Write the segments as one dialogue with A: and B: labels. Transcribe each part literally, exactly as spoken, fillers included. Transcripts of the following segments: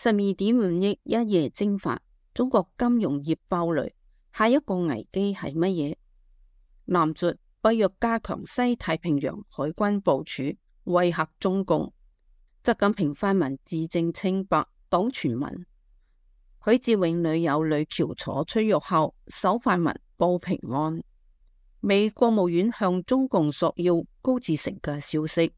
A: 十二點五億一夜蒸發，中國金融業爆雷，下一個危機係乜嘢？南述北約加強西太平洋海軍部署，威嚇中共。習近平發文自證清白，擋傳聞。許志永女友呂喬楚出獄後首發文報平安。美國務院向中共索要高志成嘅消息。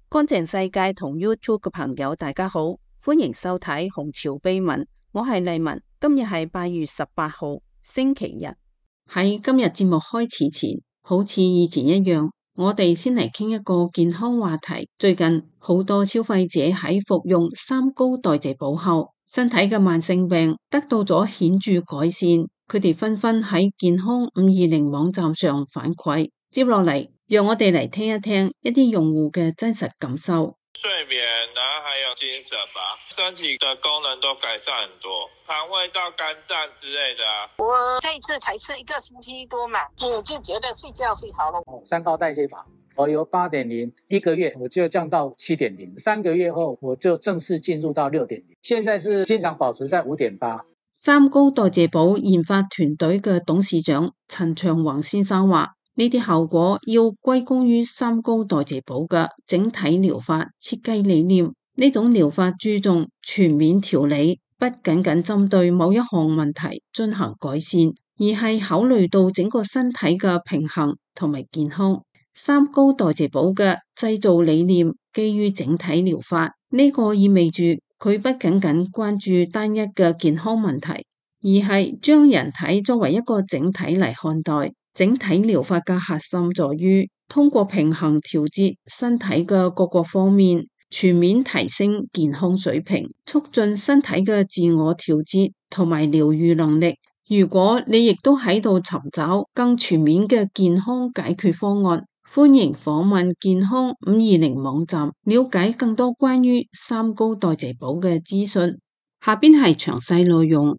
A: 乾淨世界同 YouTube 嘅朋友大家好，歡迎收睇紅潮秘聞，我係麗文。今日係八月十八號星期日。喺今日節目開始前，好似以前一樣，我哋先嚟傾一個健康話題。最近好多消費者喺服用三高代謝寶後，身體嘅慢性病得到咗顯著改善，佢哋紛紛喺健康五二零網站上反饋。接落嚟，讓我哋嚟聽一聽一啲用戶嘅真實感受。
B: 睡眠，然後還有精神吧，身體的功能都改善很多，腸胃道、肝臟之類的啊。
C: 我這一次才吃一個星期多嘛，我就覺得睡覺睡好了。
D: 三高代謝法，我由八點零一個月我就降到七點零，三個月後我就正式進入到六點零，現在是經常保持在五點八。
A: 三高代謝寶研發團隊嘅董事長陳長宏先生話，呢啲效果要歸功於三高代謝寶嘅整體療法設計理念。呢種療法注重全面調理，不僅僅針對某一項問題進行改善，而係考慮到整個身體嘅平衡同埋健康。三高代謝寶嘅製造理念基於整體療法，呢個意味住佢不僅僅關注單一嘅健康問題，而係將人體作為一個整體嚟看待。整體療法嘅核心在於通過平衡調節身體嘅各個方面，全面提升健康水平，促進身體嘅自我調節同埋療癒能力。如果你亦都喺度尋找更全面嘅健康解決方案，歡迎訪問健康五二零網站，了解更多關於三高代謝寶嘅資訊。下邊係詳細內容。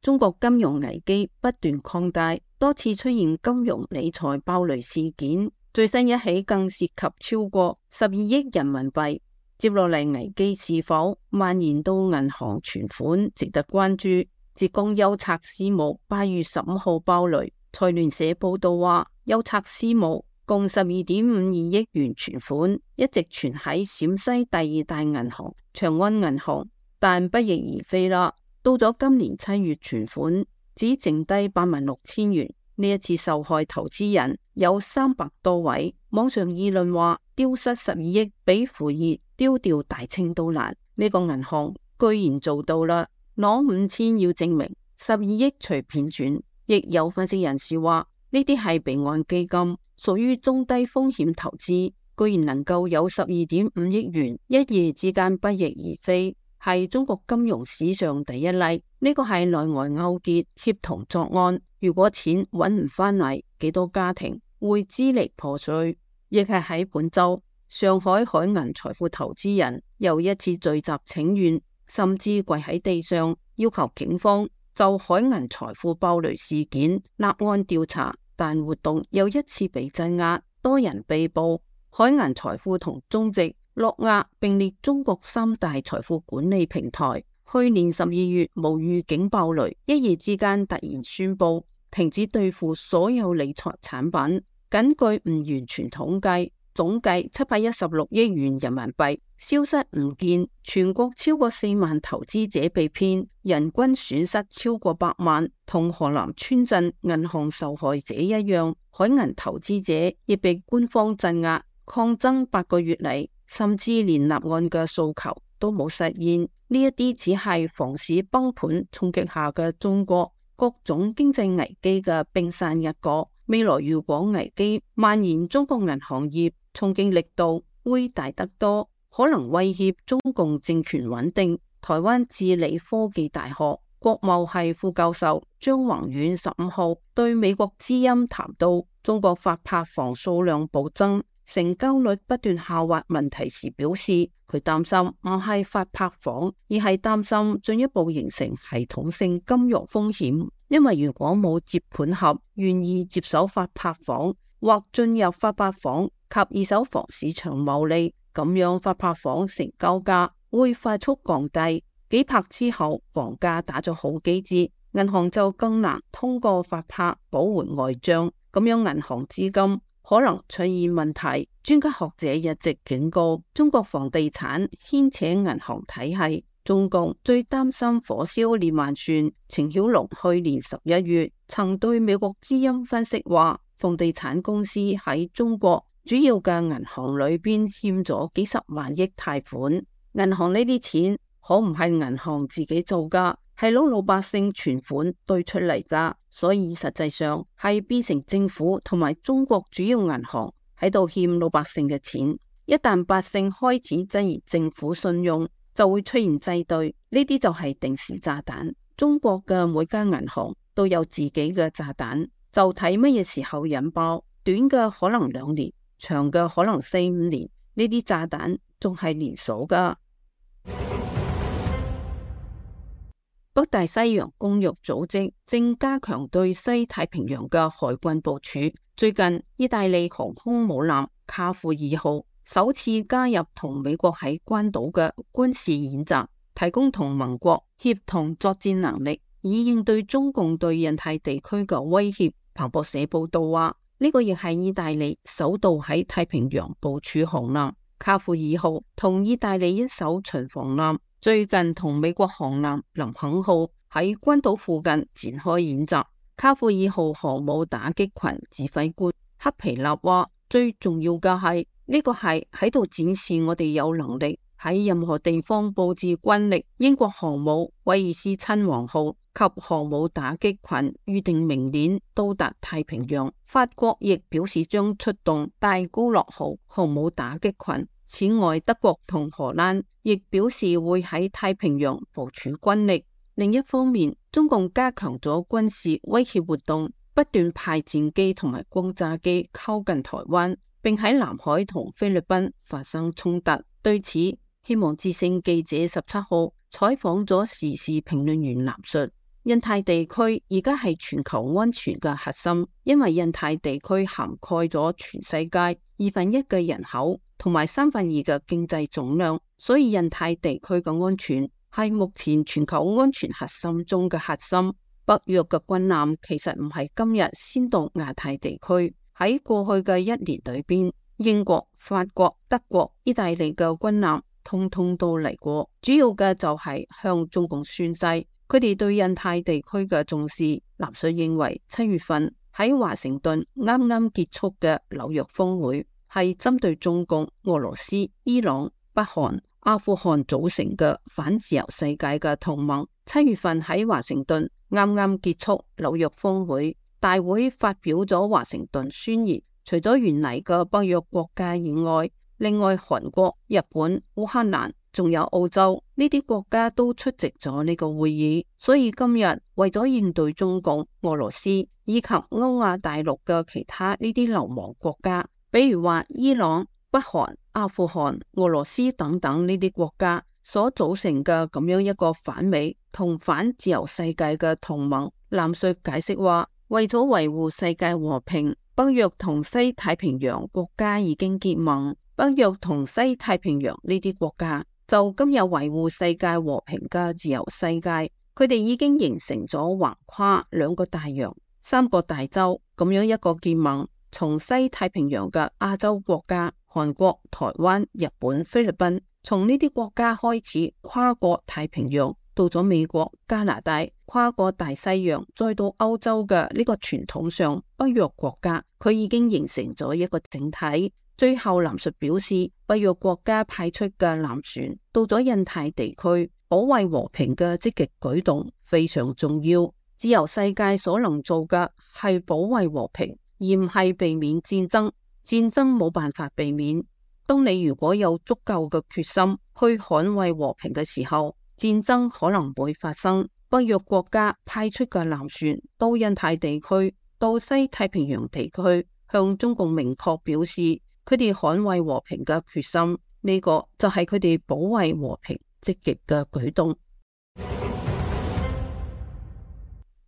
A: 中國金融危機不斷擴大，多次出現金融理財爆雷事件，最新一起更涉及超過十二億人民幣。接落嚟危機是否蔓延到銀行存款，值得關注。浙江優策私募八月十五號爆雷，財聯社報道話，優策私募共十二點五二億元存款一直存喺陝西第二大銀行長安銀行，但不翼而飛啦。到咗今年七月，存款只剩低八萬六千元。呢一次受害投資人有三百多位，網上議論話丟失十二億比扶熱丟掉大清都難。呢個銀行居然做到啦，攞五千要證明十二億隨便轉。亦有分析人士話呢啲係備案基金，屬於中低風險投資，居然能夠有十二點五億元一夜之間不翼而飛，係中國金融史上第一例。呢個係內外勾結協同作案，如果錢揾唔返嚟，幾多家庭會支離破碎。亦係喺本周，上海海銀財富投資人又一次聚集請願，甚至跪喺地上要求警方就海銀財富爆雷事件立案調查，但活動又一次被鎮壓，多人被捕。海銀財富同中植、諾亞並列中國三大財富管理平台，去年十二月無預警爆雷，一夜之間突然宣布停止兌付所有理財產品。根據唔完全統計，總計七百一十六億元人民幣消失唔見，全國超過四萬投資者被騙，人均損失超過百萬。同河南村鎮銀行受害者一樣，海銀投資者亦被官方鎮壓，抗爭八個月嚟，甚至連立案嘅訴求都冇實現。呢一啲只係房市崩盤衝擊下嘅中國各種經濟危機嘅冰山一角。未來如果危機蔓延，中國銀行業衝擊力度會大得多，可能威脅中共政權穩定。台灣治理科技大學國貿系副教授張宏遠十五號對美國之音談到中國發拍房數量暴增，成交率不斷下滑問題時表示，佢擔心唔係發拍房，而係擔心進一步形成系統性金融風險。因為如果冇接盤俠願意接手法拍房或進入法拍房及二手房市場牟利，咁樣法拍房成交價會快速降低。幾拍之後，房價打咗好幾折，銀行就更難通過法拍補回外賬，咁樣銀行資金可能出現問題。專家學者一直警告，中國房地產牽扯銀行體系。中共最擔心火燒連環船。程曉龍去年十一月曾對美國之音分析話，房地產公司喺中國主要嘅銀行裏邊欠咗幾十萬億貸款。銀行呢啲錢可唔係銀行自己做噶，係攞老百姓存款兌出嚟噶，所以實際上係變成政府同埋中國主要銀行喺度欠老百姓嘅錢。一旦百姓開始質疑政府信用，就會出現擠兌，呢啲就係定時炸彈。中國嘅每間銀行都有自己嘅炸彈，就睇乜嘢時候引爆。短嘅可能兩年，長嘅可能四五年，呢啲炸彈仲係連鎖噶。北大西洋公約組織正加強對西太平洋嘅海軍部署。最近，意大利航空母艦卡庫爾號首次加入同美國喺關島嘅軍事演習，提供同盟國協同作戰能力，以應對中共對印太地區嘅威脅。彭博社報道話，呢個亦係意大利首度喺太平洋部署航艦。卡庫爾號同意大利一艘巡防艦最近同美國航艦林肯號喺關島附近展開演習。卡庫爾號航母打擊群指揮官克皮納話，最重要嘅係呢個係喺度展示我哋有能力喺任何地方佈置軍力。英國航母威爾斯親王號及航母打擊群預定明年到達太平洋。法國亦表示將出動戴高樂號航母打擊群。此外，德國同荷蘭亦表示會喺太平洋部署軍力。另一方面，中共加強咗軍事威脅活動，不斷派戰機同埋轟炸機靠近台灣，並喺南海同菲律賓發生衝突。對此，希望之聲記者十七號採訪咗時事評論員藍述，印太地區而家係全球安全嘅核心，因為印太地區涵蓋咗全世界二分一嘅人口同埋三分二嘅經濟總量，所以印太地區嘅安全係目前全球安全核心中嘅核心。北約嘅軍艦其實唔係今日先到亞太地區，喺過去嘅一年裏邊，英國、法國、德國、意大利嘅軍艦通通都嚟過，主要嘅就係向中共宣誓佢哋對印太地區嘅重視。藍述認為，七月份喺華盛頓啱啱結束嘅紐約峰會係針對中共、俄羅斯、伊朗、北韓、阿富汗組成嘅反自由世界嘅同盟。七月份喺華盛頓啱啱結束紐約峰會，大會發表咗華盛頓宣言。除咗原嚟嘅北約國家以外，另外韓國、日本、烏克蘭仲有澳洲呢啲國家都出席咗呢個會議。所以今日為咗應對中共、俄羅斯以及歐亞大陸嘅其他呢啲流亡國家，比如話伊朗、北韓、阿富汗、俄羅斯等等呢啲國家所組成嘅咁樣一個反美同反自由世界嘅同盟。藍述解釋話，為咗維護世界和平，北約同西太平洋國家已經結盟。北約同西太平洋呢啲國家就今日維護世界和平嘅自由世界，佢哋已經形成咗橫跨兩個大洋、三個大洲咁樣一個結盟。從西太平洋嘅亞洲國家韓國、台灣、日本、菲律賓，從呢啲國家開始跨過太平洋，到咗美國、加拿大，跨過大西洋，再到歐洲嘅呢個傳統上北約國家，佢已經形成咗一個整體。最後藍述表示，北約國家派出嘅艦船到咗印太地區保衛和平嘅積極舉動非常重要。自由世界所能做嘅係保衛和平，而唔係避免戰爭。戰爭冇辦法避免。當你如果有足夠嘅決心去捍衛和平嘅時候，戰爭可能會發生。北約國家派出嘅艦船到印太地區、到西太平洋地區，向中共明確表示佢哋捍衛和平嘅決心。呢個就係佢哋保衛和平積極嘅舉動。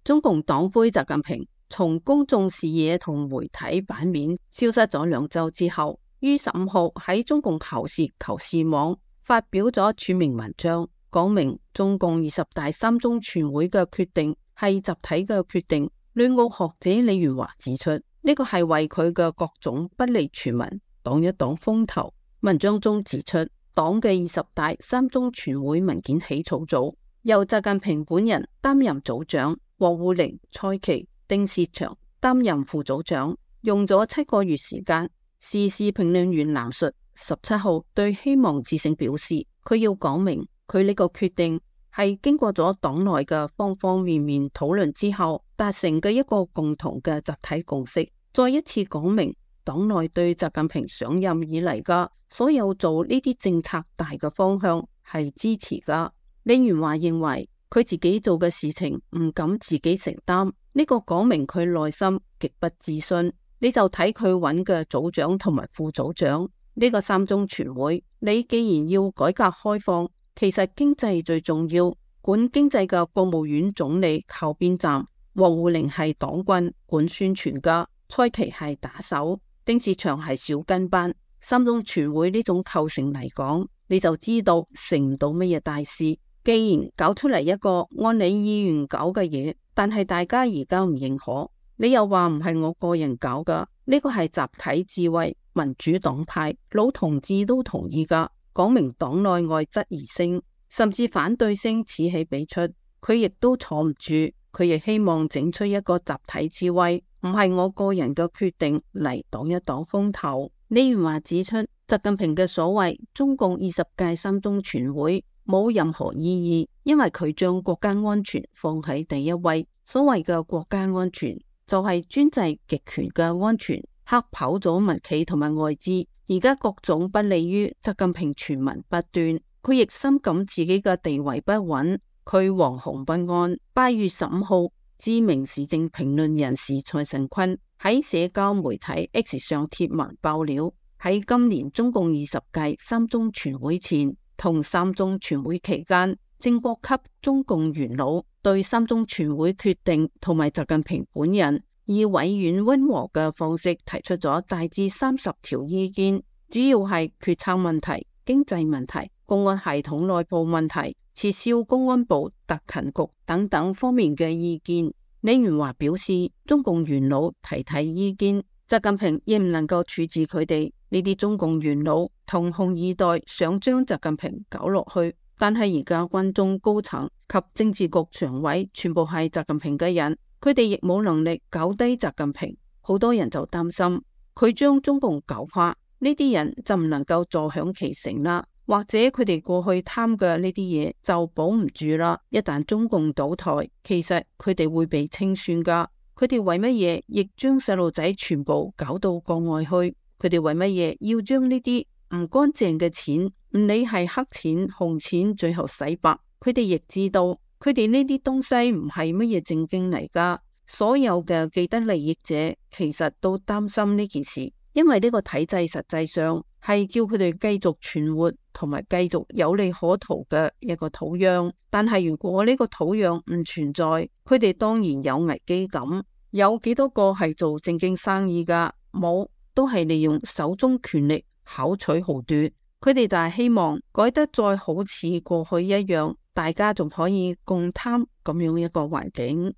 A: 中共黨魁習近平從公眾視野同媒體版面消失咗兩周之後，於十五號喺中共求是求是網發表咗署名文章，講明中共二十大三中全會嘅決定係集體嘅決定。旅澳學者李元華指出，呢個係為佢嘅各種不利傳聞擋一擋風頭。文章中指出，黨嘅二十大三中全會文件起草組由習近平本人擔任組長，王滬寧、蔡奇、丁薛祥擔任副組長，用咗七個月時間。時事評論員藍述十七號對希望之聲表示，佢要講明佢呢個決定係經過咗黨內嘅方方面面討論之後達成嘅一個共同嘅集體共識，再一次講明黨內對習近平上任以嚟嘅所有做呢啲政策大嘅方向係支持噶。李元華認為佢自己做嘅事情唔敢自己承擔，呢個講明佢內心極不自信。你就睇佢揾嘅組長同埋副組長，呢個三中全會，你既然要改革開放，其實經濟最重要，管經濟嘅國務院總理靠邊站，王滬寧係黨軍管宣傳噶，蔡奇係打手，丁薛祥係小跟班。三中全會呢種構成嚟講，你就知道成唔到乜嘢大事。既然搞出嚟一個按你意願搞嘅嘢，但係大家而家唔認可，你又話唔係我個人搞噶，呢個係集體智慧，民主黨派老同志都同意噶，講明黨內外質疑聲甚至反對聲此起彼出，佢亦都坐唔住，佢亦希望整出一個集體智慧，唔係我個人嘅決定嚟擋一擋風頭。李元華指出，習近平嘅所謂中共二十屆三中全會冇任何意義，因為佢將國家安全放喺第一位。所謂嘅國家安全就係專制極權嘅安全，嚇跑咗民企同埋外資。而家各種不利於習近平傳聞不斷，佢亦深感自己嘅地位不穩，佢惶恐不安。八月十五號，知名時政評論人士蔡尚坤喺社交媒體 X 上貼文爆料，喺今年中共二十屆三中全會前同三中全會期間，正國級中共元老對三中全會決定同埋習近平本人以委婉溫和嘅方式提出咗大致三十條意見，主要係決策問題、經濟問題、公安系統內部問題、撤銷公安部特勤局等等方面嘅意見。李元華表示，中共元老提提意見，習近平亦唔能夠處置佢哋。呢啲中共元老同紅二代想將習近平搞落去，但係而家軍中高層及政治局常委全部係習近平嘅人，佢哋亦冇能力搞低習近平。好多人就擔心佢將中共搞垮，呢啲人就唔能夠坐享其成啦，或者佢哋過去貪嘅呢啲嘢就保唔住啦。一旦中共倒台，其實佢哋會被清算噶。佢哋為乜嘢亦將細路仔全部搞到國外去？佢哋為乜嘢要將呢啲唔乾淨嘅錢，唔理係黑錢、紅錢，最後洗白？佢哋亦知道，佢哋呢啲東西唔係乜嘢正經嚟噶。所有嘅既得利益者其實都擔心呢件事，因為呢個體制實際上係叫佢哋繼續存活同埋繼續有利可圖嘅一個土壤。但係如果呢個土壤唔存在，佢哋當然有危機感。有幾多個係做正經生意噶？冇。都係利用手中權力巧取豪奪，佢哋就係希望改得再好似過去一樣，大家仲可以共貪咁樣一個環境。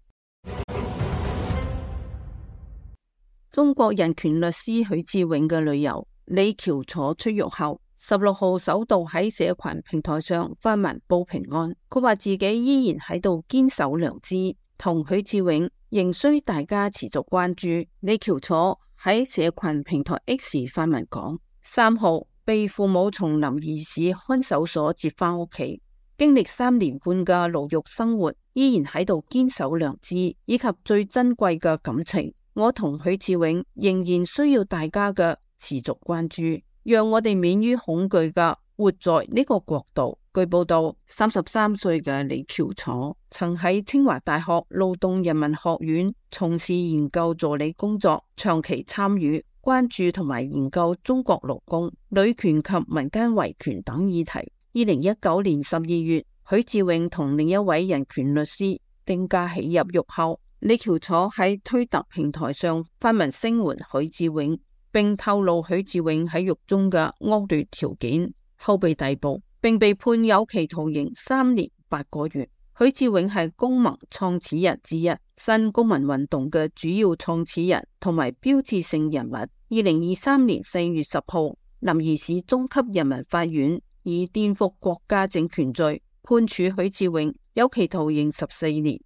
A: 中國人權律師許志永嘅女友李喬楚出獄後，十六號首度喺社群平台上發文報平安。佢話自己依然喺度堅守良知，同許志永仍需大家持續關注。李喬楚喺社群平台 X 發文講，三號被父母從臨沂市看守所接返屋企，經歷三年半嘅牢獄生活，依然喺度堅守良知以及最珍貴嘅感情。我同許志永仍然需要大家嘅持續關注，讓我哋免於恐懼嘅活在呢個國度。據報道，三十三歲嘅李喬楚曾喺清華大學勞動人民學院從事研究助理工作，長期參與關注同埋研究中國勞工、女權及民間維權等議題。二零一九年十二月，許志永同另一位人權律師定價起入獄後，李喬楚喺推特平台上發文聲援許志永，並透露許志永喺獄中嘅惡劣條件，後被逮捕，並被判有期徒刑三年八個月。許志永係公盟創始人之一，新公民運動嘅主要創始人同埋標誌性人物。二零二三年四月十號，臨沂市中級人民法院以顛覆國家政權罪判處許志永有期徒刑十四年。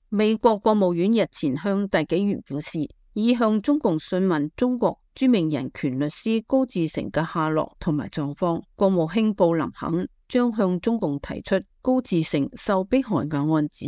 A: 美國國務院日前向大紀元表示，已向中共詢問中國著名人權律師高志成嘅下落同埋狀況。國務卿布林肯將向中共提出高志成受迫害嘅案子。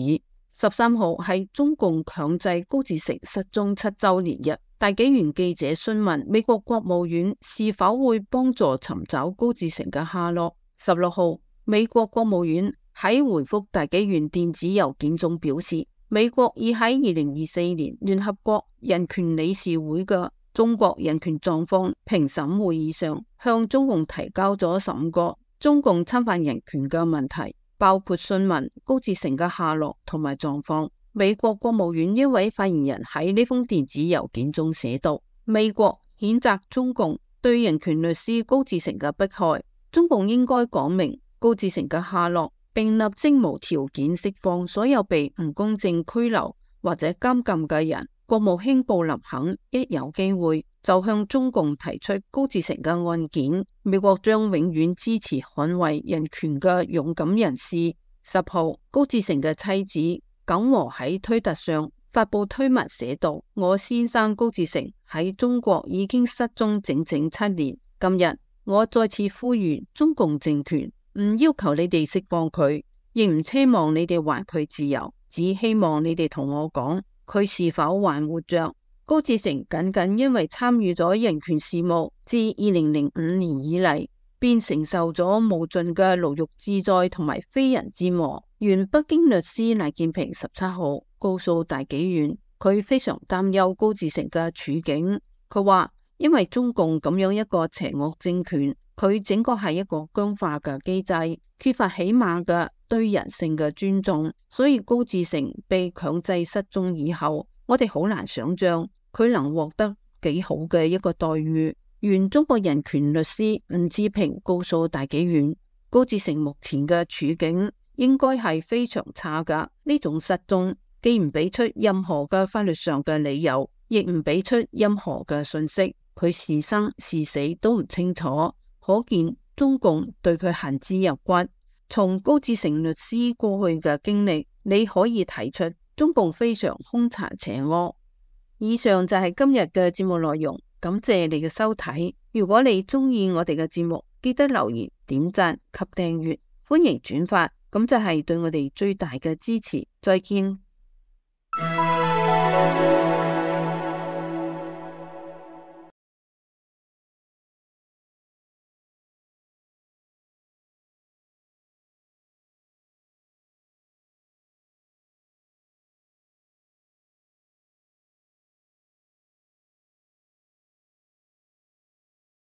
A: 十三號係中共強制高志成失蹤七周年日，大紀元記者詢問美國國務院是否會幫助尋找高志成嘅下落。十六號，美國國務院喺回覆大紀元電子郵件中表示，美國已喺二零二四年聯合國人權理事會嘅中國人權狀況評審會議上，向中共提交咗十五個中共侵犯人權嘅問題，包括詢問高志成嘅下落同埋狀況。美國國務院一位發言人喺呢封電子郵件中寫道：美國譴責中共對人權律師高志成嘅迫害，中共應該講明高志成嘅下落，並立即無條件釋放所有被唔公正拘留或者監禁嘅人。國務卿布林肯一有機會就向中共提出高志成嘅案件，美國將永遠支持捍衛人權嘅勇敢人士。十號，高志成嘅妻子耿和喺推特上發佈推文寫道：我先生高志成喺中國已經失蹤整整七年，今日我再次呼籲中共政權唔要求你哋釋放佢，亦唔奢望你哋還佢自由，只希望你哋同我講佢是否還活着。高志成僅僅因為參與咗人權事務，自二零零五年以嚟便承受咗無盡嘅牢獄之災同埋非人之磨。原北京律師賴建平十七號告訴大紀元，佢非常擔憂高志成嘅處境。佢話因為中共咁樣一個邪惡政權，佢整個係一個僵化嘅機制，缺乏起碼嘅對人性嘅尊重，所以高志成被強制失蹤以後，我哋好難想象佢能獲得幾好嘅一個待遇。原中國人權律師吳志平告訴大紀元，高志成目前嘅處境應該係非常差噶。呢種失蹤既唔俾出任何嘅法律上嘅理由，亦唔俾出任何嘅信息，佢是生是死都唔清楚，可見中共對佢恨之入骨。從高志成律師過去嘅經歷，你可以睇出中共非常兇殘邪惡。以上就係今日嘅節目內容，感謝你嘅收睇。如果你中意我哋嘅節目，記得留言、點讚及訂閱，歡迎轉發，咁就係對我哋最大嘅支持。再見。